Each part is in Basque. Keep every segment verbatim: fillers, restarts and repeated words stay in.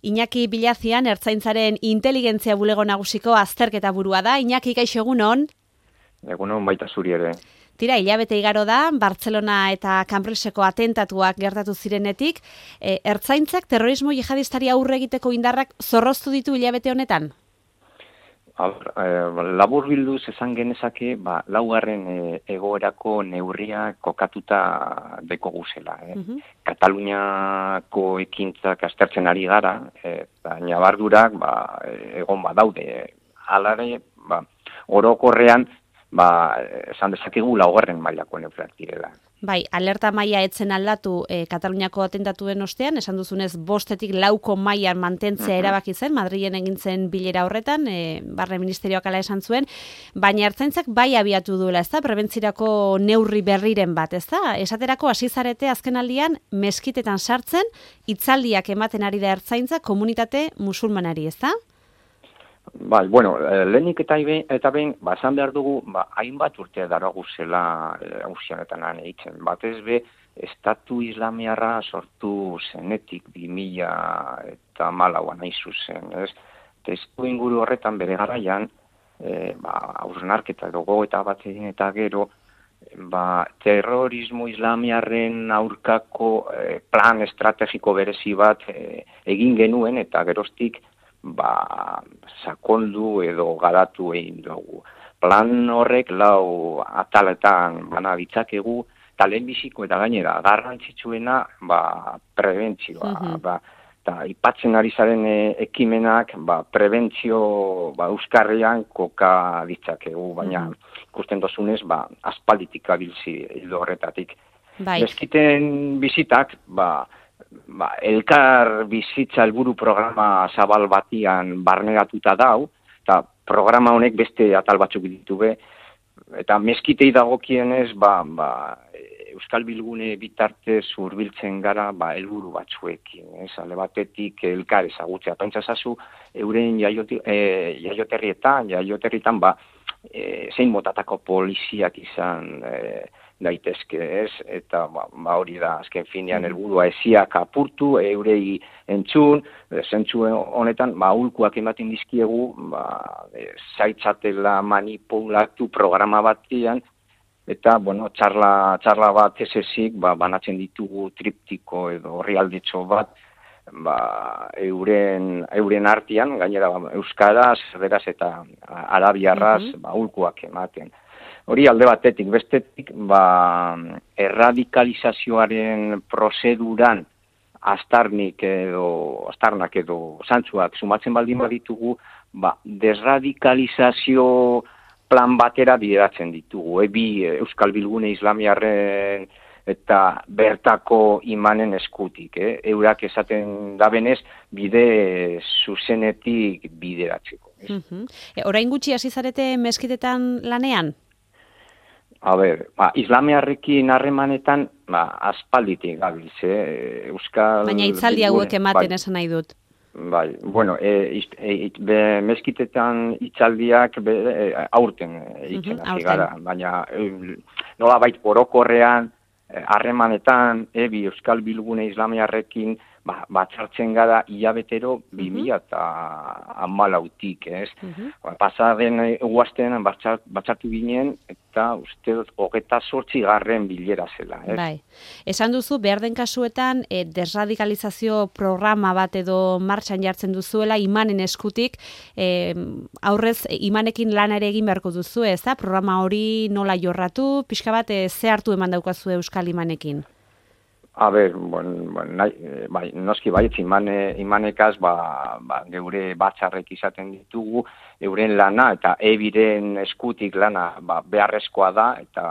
Iñaki Bilazian Ertzaintzaren inteligentzia bulego nagusiko azterketa burua da. Iñaki, kaixo egunon? Egunon baita zuri ere. Tira, hilabete igaro da, Bartzelona eta Cambridgeko atentatuak gertatu zirenetik. E, Ertzaintzak terrorismo jihadistari aurre egiteko indarrak zorroztu ditu hilabete honetan? Eh, labur bilduz esan genezake, ba, laugarren eh, egoerako neurria kokatuta deko guzela. Eh. Uh-huh. Kataluniako ekintzak aztertzen ari gara, eh, eta nabardurak ba, egon badaude. Halare, ba, orokorrean, ba, esan dezakegu laugarren mailako neurriak direla. Bai, alerta maila etzen aldatu e, Kataluniako atentatuen ostean, esan duzunez bostetik lauko mailan mantentzea uh-huh. erabaki zen, Madrilen egin zen bilera horretan, e, barne ministerioak ala esan zuen, baina Ertzaintzak bai abiatu duela, ezta, prebentzirako neurri berriren bat, ezta? Esaterako hasi zarete azkenaldian meskitetan sartzen, hitzaldiak ematen ari da Ertzaintza komunitate musulmanari, ezta? Bai, bueno, lehenik eta, eta behin, ba, esan behar dugu, ba, hainbat urtea daragu zela hauzi honetan lan egiten. Batez be, Estatu Islamiarra sortu zenetik bi mila eta malauan hain zuzen, ez? Testu inguru horretan bere garaian, e, ba, hausnarketa dugu eta bat egin eta gero, ba, terrorismo islamiarren aurkako e, plan estrategiko berezi bat e, egin genuen eta geroztik, ba, sakondu edo garatu egin dugu. Plan horrek lau ataletan bana ditzakegu, eta lehenbiziko eta gainera garrantzitsuena ba, prebentzioa. Uh-huh. Ba, eta ipatzen ari zaren ekimenak ba, prebentzio ba, euskarrian koka ditzakegu, baina uh-huh. ikusten dozunez ba, aspalditik abilzi hildo horretatik. Bai. Meskiten bizitak, ba, Ba, elkar bizitza helburu programa zabal batian barneratuta dau, eta programa honek beste atal batzuk ditu be, eta meskitei dagokienez, ba, ba, Euskal Bilgune bitarte hurbiltzen gara ba, helburu batzuekin, ez, ale batetik elkar ezagutzea. Pentsa zazu, euren jaioti, e, jaioterrietan, jaioterritan, ba, e, zein motatako poliziak izan e, daitezke, ez, eta ba, ba hori da, azken finean helburua esiak apurtu, eurei entzun, zentzu honetan, ba, ulkuak ematen dizkiegu, ba, e, zaitzatela manipulatu programa batian, eta, bueno, txarla, txarla bat esesik, ba, banatzen ditugu triptiko edo orrialdetxo bat, ba, euren, euren artean, gainera, ba, euskaraz, erderaz eta arabiarraz, uh-huh. ba, ulkuak ematen. Hori alde batetik, bestetik, ba, erradikalizazioaren prozeduran astarnik edo, astarnak edo zantzuak sumatzen baldin baditugu, ba, desradikalizazio plan batera bideratzen ditugu. Ebi Euskal Bilgune Islamiarren eta bertako imanen eskutik. Eh? Eurak esaten dabenez, bide zuzenetik bideratzeko. Uh-huh. E, orain gutxi hasi zarete meskitetan lanean? A ber, ba, islamiarrekin harremanetan, ba, aspalditik gabiltz, eh? Euskal... Baina hitzaldi hauek ematen bai, esan nahi dut. Bai, bueno, e, e, be, meskitetan hitzaldiak be, e, aurten egiten hasi gara, baina e, nola bait orokorrean, harremanetan, e, bi Euskal Bilgune Islamiarrekin, ba, batzartzen gara hilabetero bi mila eta hamalautik, ez? Uh-huh. Ba, pasaden eguazten batzart, batzartu ginen, eta uste dut hogeta zortzi garren bilera zela, ez? Bai. Esan duzu, behar den kasuetan, e, desradikalizazio programa bat edo martxan jartzen duzuela, imanen eskutik, e, aurrez, imanekin lan ere egin beharko duzu, ez da? Programa hori nola jorratu, pixka bat, e, ze hartu eman daukazu Euskal imanekin? A ber, bon, bon, nahi, bai, noski baietz imane, imanekaz ba, ba, geure batzarrek izaten ditugu, euren lana eta ebiren eskutik lana ba, beharrezkoa da, eta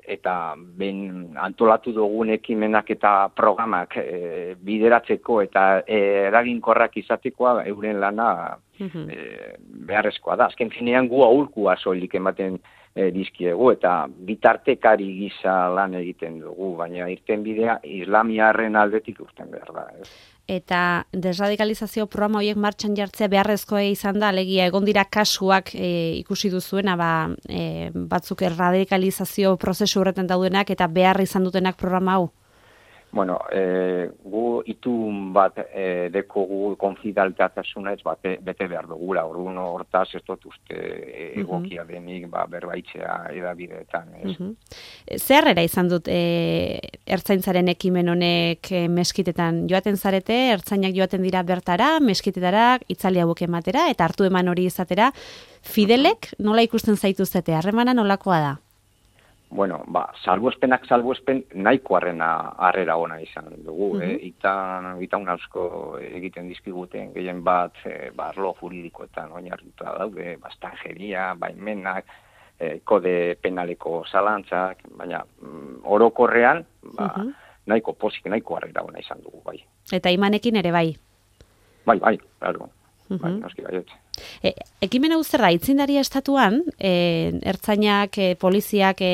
eta ben antolatu dugun ekimenak eta programak e, bideratzeko eta e, eraginkorrak izatekoa euren lana uh-huh. e, beharrezkoa da. Azken finean gu aholkua soilik ematen e, dizkiegu eta bitartekari gisa lan egiten dugu, baina irten bidea islamiarren aldetik urten behar da. Ez? Eta desradikalizazio programa horiek martxan jartzea beharrezkoa izan da, alegia egon dira kasuak e, ikusi duzuena, ba, e, batzuk erradikalizazio prozesu horretan daudenak eta behar izan dutenak programa hau? Bueno, e, gu itun bat e, dekogu konfidaltasunez bate, bete behar dugula, orduan hortaz ez dut uste egokia denik ba, berbaitzea edabideetan. Ez? Uh-huh. Zer era izan dut e, ertzaintzaren ekimen honek e, meskitetan joaten zarete, ertzainak joaten dira bertara, meskitetara, itzali hauek ematera, eta hartu eman hori izatera, Fidelek nola ikusten zaituztete, harremana nolakoa da? Bueno, ba, salbuespenak salbuespen nahiko harrena harrera ona izan dugu. Uh-huh. eh? Ita, ita unausko egiten dizkiguten gehien bat eh, ba, arlo juridikoetan oinarrituta daude, bastanjeria, baimenak, eh, kode penaleko zalantzak, baina mm, orokorrean ba, uh-huh. nahiko posik, nahiko harrera ona izan dugu, bai. Eta imanekin ere bai? Bai, bai, claro. Uh-huh. Bai, noski baiet. E, ekimen hau zer da, itzindaria estatuan, e, ertzainak, e, poliziak e,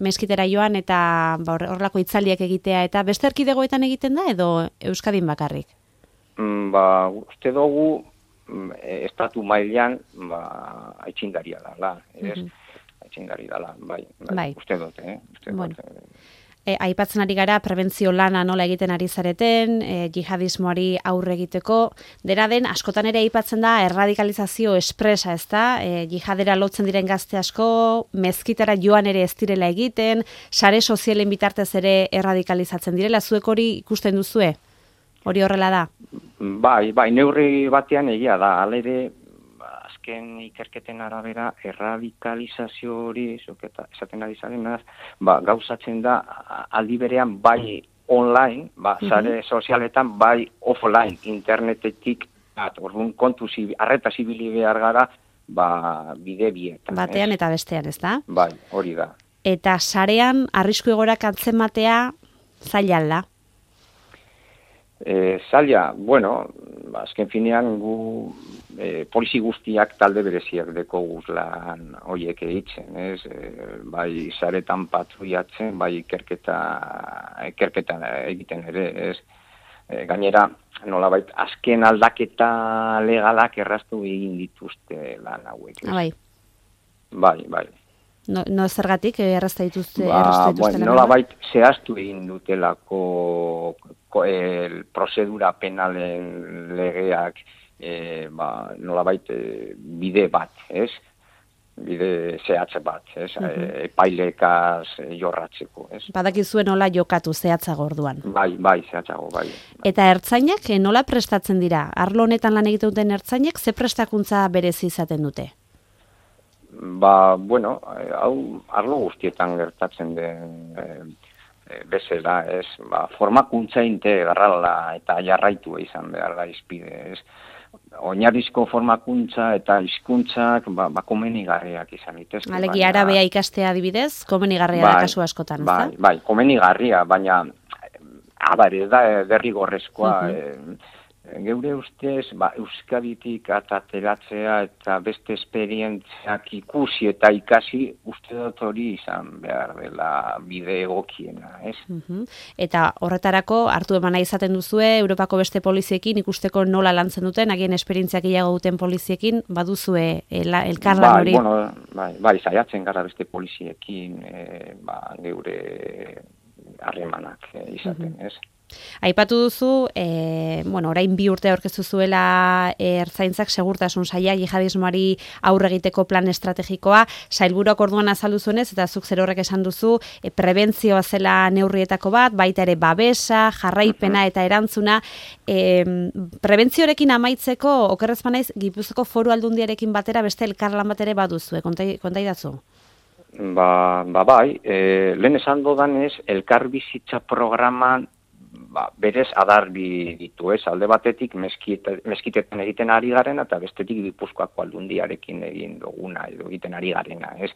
meskitera joan eta ba, horrelako itzaliak egitea, eta beste erkidegoetan egiten da edo Euskadin bakarrik? Mm, ba, uste dugu mm, estatu mailan ba, aitzindaria dala, ez? Uh-huh. Aitzindari dala, bai, bai, bai. Uste dut, eh? Uste bueno. dut, eh? E, aipatzen ari gara prebentzio lana nola egiten ari zareten, e, jihadismoari aurre egiteko, dena den askotan ere aipatzen da erradikalizazio espresa, ez da? E, jihadera lotzen diren gazte asko, mezkitara joan ere ez direla egiten, sare sozialen bitartez ere erradikalizatzen direla, zuek hori ikusten duzue? Hori horrela da? Bai, bai, neurri batean egia da, hala ere, azken ikerketen arabera erradikalizazio hori zuketa esaten ari zarenaz, ba, gauzatzen da aldi berean bai online, ba, sare uh-huh. sozialetan bai offline, internetetik, orduan kontu zibi, arreta zibili behar gara, ba, bide bietan. Batean ez? Eta bestean, ez da? Bai, hori da. Eta sarean arrisku egorak antzematea zaila da? E, zaila, bueno, azken finean gu e, polizi guztiak talde bereziak deko guzlan horiek eitzen, ez? E, bai saretan patruiatzen, bai ikerketa, ikerketa egiten ere, ez? E, gainera, nolabait, azken aldaketa legalak erraztu egin dituzte lan hauek. Ah, bai. Bai, bai. No, no zergatik errazta dituzte, ba, errazta dituzte bueno, nolabait zehaztu egin dutelako ko, el prozedura penalen legeak e, ba, nolabait e, bide bat, ez? Bide zehatze bat, ez? Uh-huh. E, epailekaz e, jorratzeko, ez? Badakizue nola jokatu zehatzago orduan. Bai, bai, zehatzago, bai. Eta ertzainak nola prestatzen dira? Arlo honetan lan egiten duten ertzainak ze prestakuntza berezi izaten dute? Ba, bueno, hau arlo guztietan gertatzen den e, e, bezala, ez, ba, formakuntza integrala eta jarraitu izan behar da izpide, ez. Oinarrizko formakuntza eta hizkuntzak ba, ba komenigarriak izan ditezke. Alegi arabea ikastea adibidez, komenigarria bai, da kasu askotan, ez da? Bai, bai, komenigarria, baina abar, ez da derrigorrezkoa, uh-huh. e, geure ustez, ba, Euskaditik atateratzea eta beste esperientziak ikusi eta ikasi uste dut hori izan behar dela bide egokiena, ez? Uh-huh. Eta horretarako hartu emana izaten duzue, Europako beste poliziekin ikusteko nola lantzen duten, agien esperientziak gehiago duten poliziekin, baduzue el, elkarlan hori? Bai, bueno, bai, bai, saiatzen gara beste poliziekin, e, ba, geure harremanak e, izaten, uh-huh. ez? Aipatu duzu, e, bueno, orain bi urte aurkeztu zuela e, ertzaintzak segurtasun saila jihadismoari aurre egiteko plan estrategikoa, sailburuak orduan azaldu zuenez, eta zuk zer horrek esan duzu, e, prebentzioa zela neurrietako bat, baita ere babesa, jarraipena eta erantzuna. E, prebentziorekin amaitzeko, okerrez banaiz, Gipuzkoako Foru Aldundiarekin batera beste elkarlan bat ere baduzue, kontai, kontai dazu? Ba, ba bai, e, lehen esan dodanez, elkarbizitza programan ba, berez adarbi ditu, ez, alde batetik meskite, meskitetan egiten ari garena eta bestetik Gipuzkoako Aldundiarekin egin duguna edo egiten ari garena, ez.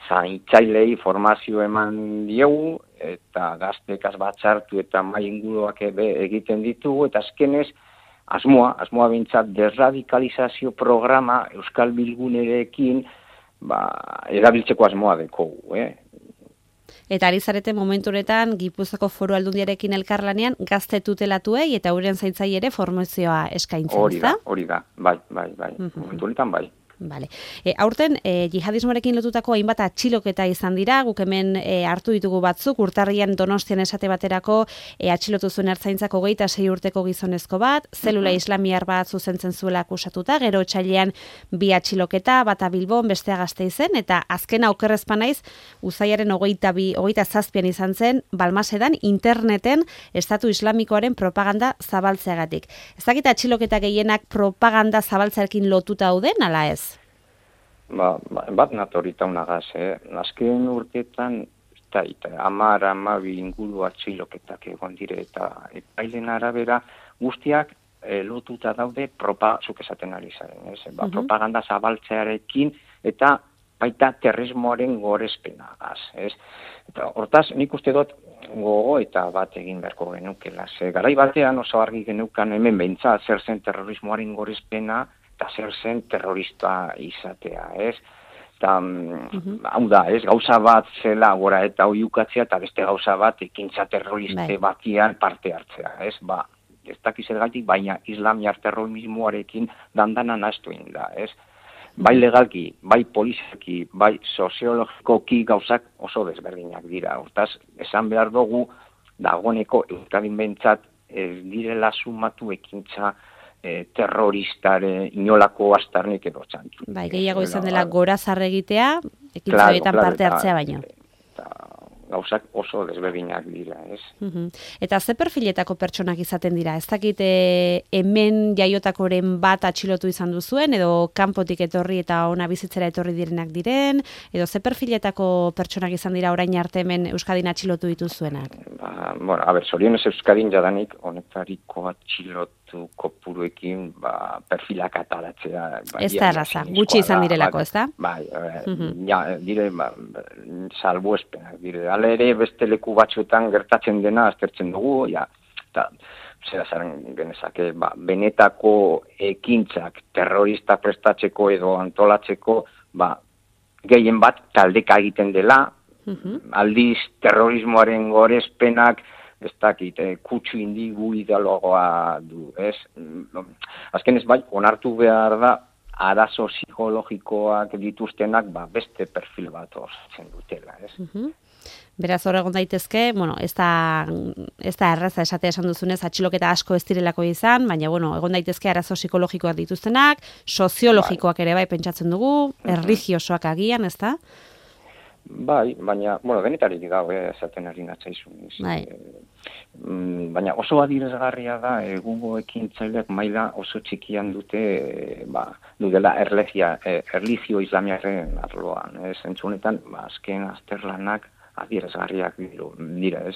Zaintzailei formazio eman diegu eta gaztekaz batzartu eta mai inguruak egiten ditugu eta azkenez asmoa, asmoa bintzat desradikalizazio programa Euskal Bilgunerekin ba, erabiltzeko asmoa dekogu, eh. Eta ari zarete momentu honetan Gipuzkoako Foru Aldundiarekin elkarlanean gazte tutelatuei eta euren zaintzai ere formazioa eskaintzen, hori da, ezta? Hori da, bai, bai, bai. Uh-huh. Momentu honetan bai. Vale. E, aurten, e, jihadismoarekin lotutako hainbat atxiloketa izan dira, guk hemen e, hartu ditugu batzuk, urtarrian Donostian esate baterako e, atxilotu zuen ertzaintzak hogeita sei urteko gizonezko bat, zelula islamiar bat zuzentzen zuela akusatuta, gero otsailean bi atxiloketa, bata Bilbon, bestea Gasteizen, eta azkena okerrezpa naiz, uzaiaren hogeita bi, hogeita zazpian izan zen, Balmasedan interneten Estatu Islamikoaren propaganda zabaltzeagatik. Ez dakit atxiloketa gehienak propaganda zabaltzearekin lotuta dauden, ala ez? Ba, bat natorita unagaz, eh? Azken urteetan, eta, eta amar, amabi inguru atxiloketak egon dire, eta epailen arabera guztiak e, lotuta daude propa, zuk esaten ari zaren, ez? Ba, uh-huh. Propaganda zabaltzearekin, eta baita terrorismoaren gorezpenagaz, ez? Eta hortaz, nik uste dut gogo eta bat egin beharko genukela. Ze garai batean oso argi genukan hemen behintzat zer zen terrorismoaren gorezpena, eta zer zen terrorista izatea, ez? Eta, uh-huh. hau da, ez, gauza bat zela gora eta oiukatzea, eta beste gauza bat ekintza terroriste bai. Batian parte hartzea, ez? Ba, ez dakiz ergatik, baina islamiar terrorismoarekin dandana nahastu egin da, ez? Bai legalki, bai polizaki, bai soziologikoki gauzak oso desberdinak dira. Hortaz, esan behar dugu, dagoeneko Euskadin behintzat ez direla sumatu ekintza E, terroristare inolako astarnik edo txantu. Bai, gehiago izan dela gora zarregitea, ekintza claro, claro, parte hartzea baino. Eta gauzak oso desberdinak dira, ez? Uh-huh. Eta ze perfiletako pertsonak izaten dira? Ez dakit e, hemen jaiotakoren bat atxilotu izan duzuen, edo kanpotik etorri eta ona bizitzera etorri direnak diren, edo ze perfiletako pertsonak izan dira orain arte hemen Euskadin atxilotu dituzuenak? Ba, bueno, a ber, zorionez Euskadin jadanik honetariko atxilotu kopuruekin ba, perfilak atalatzea. Ba, ez da erraza, gutxi izan direlako, ez da? Bai, uh-huh. ja, dire, ba, salbo espenak, dire, ale ere beste leku batzuetan gertatzen dena aztertzen dugu, ja, eta zera zaren genezake, ba, benetako ekintzak terrorista prestatzeko edo antolatzeko, ba, gehien bat taldeka egiten dela, uh-huh. aldiz terrorismoaren gorezpenak, ez dakit, eh, kutsu indigu ideologoa du, ez? Azken ez bai, onartu behar da, arazo psikologikoak dituztenak, ba, beste perfil bat osatzen dutela, ez? Uh-huh. Beraz, hor egon daitezke, bueno, ez da, ez da erraza esatea esan duzunez, atxiloketa asko ez direlako izan, baina, bueno, egon daitezke arazo psikologikoak dituztenak, soziologikoak ere bai pentsatzen dugu, erligiosoak agian, ez da? Bai, baina, bueno, denetarik dago, eh, esaten ari natzaizun. Bai. Mm, baina oso adierazgarria da, egungo ekintzaileak maila oso txikian dute, e, ba, dudela erlegia, e, erligio islamiaren arloan. Ez, entzunetan, ba, azken azterlanak adierazgarriak dira, ez.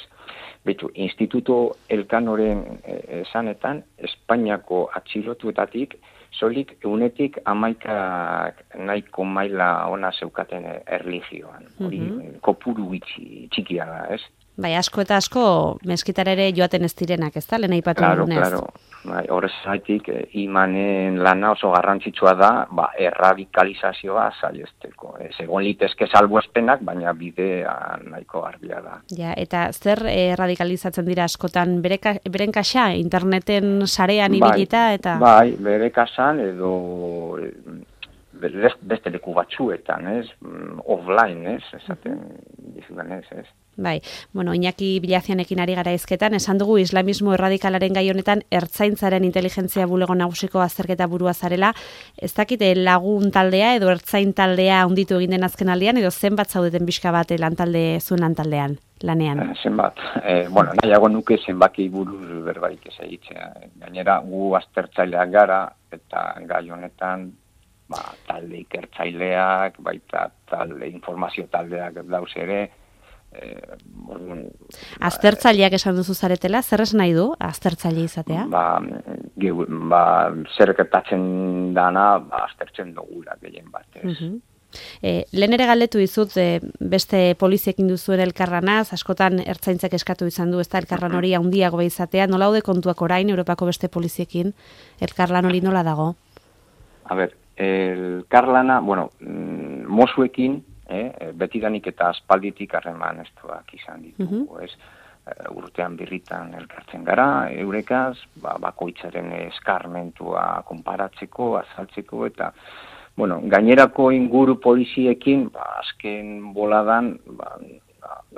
Betu, Instituto Elkanoren e, esanetan, Espainiako atxilotuetatik, soilik eunetik amaikak nahiko maila ona zeukaten erligioan. Hori, mm-hmm. kopuru itxi, txikia da, ez? Bai, asko eta asko meskitara ere joaten ez direnak, ez da? Lehen aipatu claro, dugunez. Claro, bai, horrez zaitik, eh, imanen lana oso garrantzitsua da, ba, erradikalizazioa saihesteko. Ez egon litezke salbuespenak, baina bidea nahiko garbia da. Ja, eta zer erradikalizatzen dira askotan? Bere, beren kaxa, interneten sarean ibilita, eta... Bai, bere kasan edo... beste leku batzuetan, ez? Offline, ez? Esaten dizudan ez, ez? Bai, bueno, Iñaki Bilazianekin ari gara ezketan, esan dugu islamismo erradikalaren gai honetan ertzaintzaren inteligentzia bulego nagusiko azterketa burua zarela. Ez dakite lagun taldea edo ertzain taldea hunditu egin den azken aldean, edo zenbat zaudeten pixka bat lantalde zuen lantaldean, lanean? Eh, zenbat, eh, bueno, nahiago nuke zenbaki buruz berbarik ez egitzea. Gainera, gu aztertzaileak gara, eta gai honetan, ba, talde ikertzaileak, baita talde informazio taldeak dauz ere. Eh, bon, aztertzaileak esan duzu zaretela, zer esan nahi du aztertzaile izatea? Ba, ge, ba, zer gertatzen dana, ba, aztertzen dugula gehien batez. Uh-huh. E, lehen ere galdetu dizut e, beste poliziekin duzuen elkarranaz, askotan ertzaintzak eskatu izan du, ez da elkarran hori handiago izatea, nola daude kontuak orain Europako beste poliziekin, elkarlan hori nola dago? A ber, elkarlana, bueno, mosuekin, eh, betidanik eta aspalditik harreman estuak izan ditugu, uh-huh. ez? Urtean birritan elkartzen gara, eurekaz, ba, bakoitzaren eskarmentua konparatzeko, azaltzeko, eta bueno, gainerako inguru poliziekin, ba, azken boladan, ba,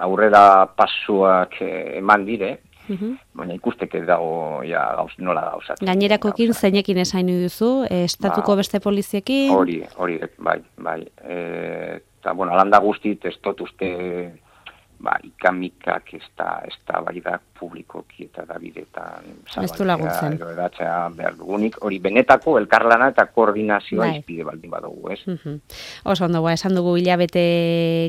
aurrera pasuak eh, eman dire, Uhum. baina ikusteke dago ja, gauz, nola gauzatzen. Gainerakoekin zeinekin esain duzu, e, estatuko Ba, beste poliziekin? Hori, hori, bai, bai. E, eta, bueno, alanda guztit, ez dut uste, ba, ikamikak ez da, ez da bai da publikoki eta da bidetan Ez du laguntzen. edo edatzea behar dugunik, hori benetako elkarlana eta koordinazioa Bai. izpide baldin badugu, ez? Uhum. Oso ondo, ba, esan dugu hilabete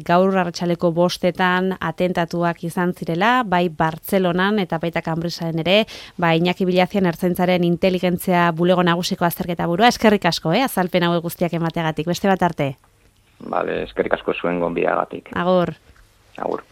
gaur arratsaleko bostetan atentatuak izan zirela, bai Bartzelonan eta baita Kanbrisaren ere, ba, Iñaki Bilazian ertzaintzaren inteligentzia bulego nagusiko azterketa burua, eskerrik asko, eh, azalpen hauek guztiak emateagatik, beste bat arte. Vale, eskerrik asko zuen gonbidagatik. Agur. Agur.